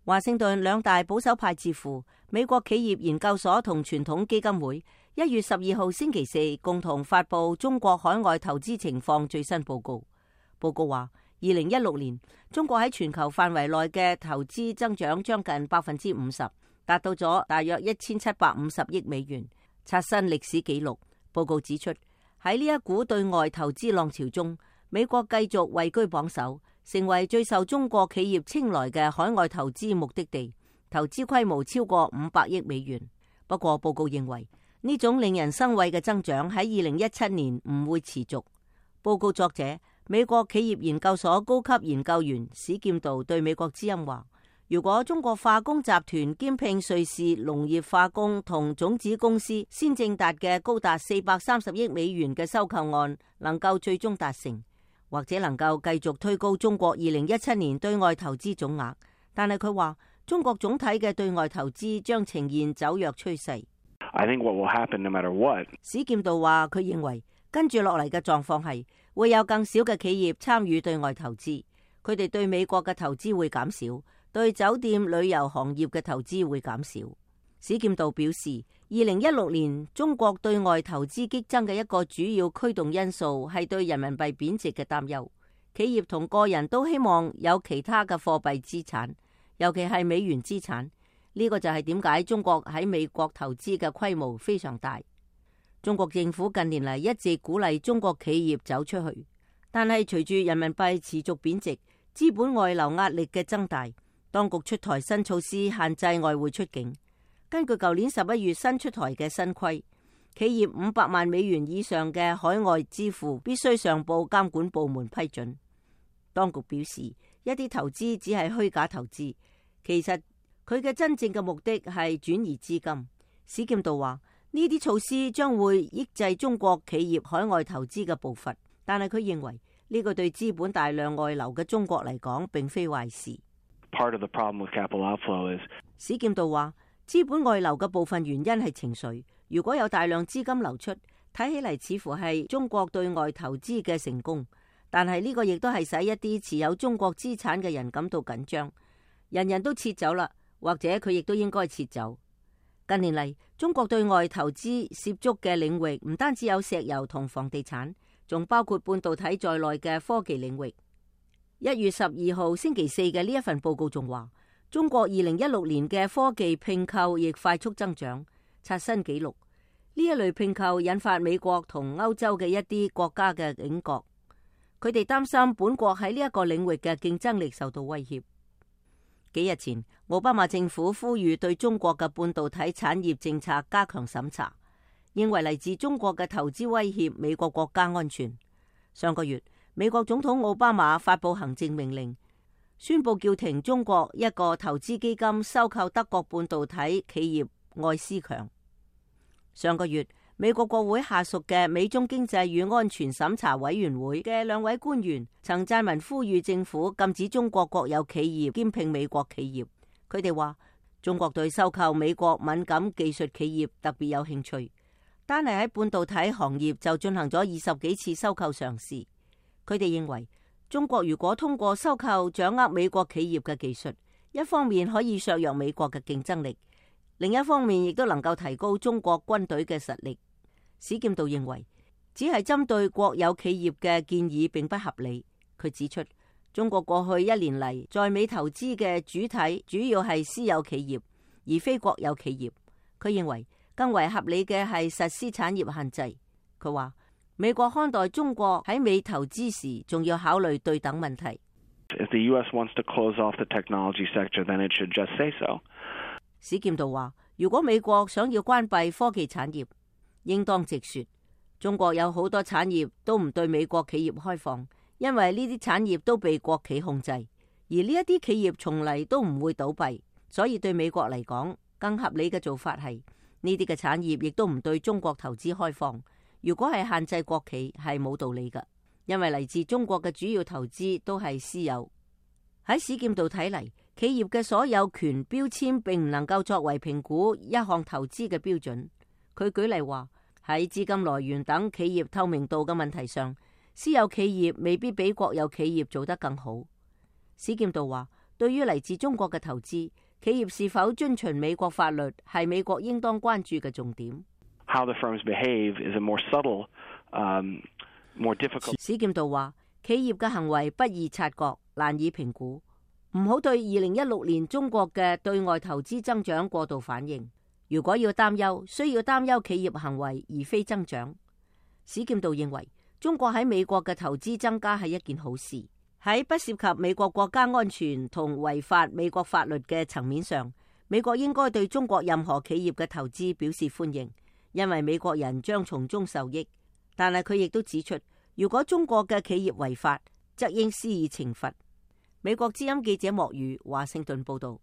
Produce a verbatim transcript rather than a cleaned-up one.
華盛頓兩大保守派智庫美國企業研究所同傳統基金會一月十二號星期四共同發布中國海外投資情況最新報告。報告話，二零一六年中國喺全球範圍內嘅投資增長將近百分之五十，達到咗大約一千七百五十億美元，刷新歷史紀錄。報告指出，喺呢一股對外投資浪潮中，美國繼續位居榜首，成為最受中國企業青睞嘅海外投資目的地，投資規模超過五百億美元。不過報告認為，呢種令人生畏嘅增長喺二零一七年唔會持續。報告作者美國企業研究所高級研究員史劍道對美國之音話，如果中國化工集團兼併瑞士農業化工同種子公司先正達嘅高達四百三十億美元嘅收購案能夠最終達成，或者能夠繼續推高中國二零一七年對外投資總額，但係佢話中國總體嘅對外投資將呈現走弱趨勢。I think what will happen no matter what. 史劍道話，佢認為跟住落嚟嘅狀況係會有更少嘅企業參與對外投資，佢哋對美國嘅投資會減少，對酒店旅遊行業嘅投資會減少。史劍道表示，二零一六年中國對外投資激增嘅一個主要驅動因素係對人民幣貶值嘅擔憂，企業同個人都希望有其他嘅貨幣資產，尤其係美元資產。呢個就係點解中國喺美國投資嘅規模非常大。中國政府近年嚟一直鼓勵中國企業走出去，但係隨住人民幣持續貶值，資本外流壓力嘅增大，當局出台新措施限制外匯出境。根據舊年十一月新出台嘅新規，企業五百萬美元以上嘅海外支付必須上報監管部門批准。當局表示，一啲投資只係虛假投資，其實佢嘅真正嘅目的係轉移資金。史劍道話，呢啲措施將會抑制中國企業海外投資嘅步伐，但係佢認為呢個對資本大量外流嘅中國嚟講並非壞事。Part of the problem with capital outflow is 史劍道話，資本外流嘅部分原因係情緒。如果有大量資金流出，睇起嚟似乎係中國對外投資嘅成功，但係呢個亦都係使一啲持有中國資產嘅人感到緊張。人人都撤走啦，或者佢亦都應該撤走。近年嚟，中國對外投資涉足嘅領域唔單止有石油同房地產，仲包括半導體在內嘅科技領域。一月十二號星期四嘅呢一份報告仲話，中國二零一六年嘅科技併購亦快速增長，刷新紀錄。呢一類併購引發美國同歐洲嘅一啲國家嘅警覺，佢哋擔心本國喺呢一個領域嘅競爭力受到威脅。幾日前，奧巴馬政府呼籲對中國嘅半導體產業政策加強審查，認為嚟自中國嘅投資威脅美國國家安全。上個月，美國總統奧巴馬發布行政命令，宣布叫停中國一個投資基金收購德國半導體企業愛思強。上個月，美國國會下屬嘅美中經濟與安全審查委員會嘅兩位官員曾撰文呼籲政府禁止中國國有企業兼併美國企業。佢哋話，中國對收購美國敏感技術企業特別有興趣，單係喺半導體行業就進行咗二十幾次收購嘗試。佢哋認為，中國如果通過收購掌握美國企業嘅技術，一方面可以削弱美國嘅競爭力，另一方面亦都能夠提高中國軍隊嘅實力。史劍道認為，只係針對國有企業嘅建議並不合理。佢指出，中國過去一年嚟在美投資嘅主體主要係私有企業，而非國有企業。佢認為更為合理嘅係實施產業限制。佢話，美國看待中國喺美投資時，仲要考慮對等問題。If the U S wants to close off the technology sector, then it should just say so. 史劍道話，如果美國想要關閉科技產業，應當直說。中國有好多產業都唔對美國企業開放，因為呢啲產業都被國企控制，而呢一啲企業從嚟都唔會倒閉，所以對美國嚟講，更合理嘅做法係呢啲嘅產業亦都唔對中國投資開放。如果係限制國企，係冇道理㗎，因為嚟自中國嘅主要投資都係私有。喺史劍道睇嚟，企業嘅所有權標籤並唔能夠作為評估一項投資嘅標準。佢舉例話，喺資金來源等企業透明度嘅問題上，私有企業未必比國有企業做得更好。史劍道話，對於嚟自中國嘅投資，企業是否遵循美國法律係美國應當關注嘅重點。How the firms behave is a more subtle, um, more difficult. 史劍道話，企業嘅行為不易察覺，難以評估，唔好對二零一六年中國嘅對外投資增長過度反應。如果要擔憂，需要擔憂企業行為而非增長。史劍道認為，中國喺美國嘅投資增加係一件好事。喺不涉及美國國家安全同違法美國法律嘅層面上，美國應該對中國任何企業嘅投資表示歡迎，因為美國人將從中受益。但係佢亦都指出，如果中國嘅企業違法，則應施以懲罰。美國之音記者莫如華盛頓報道。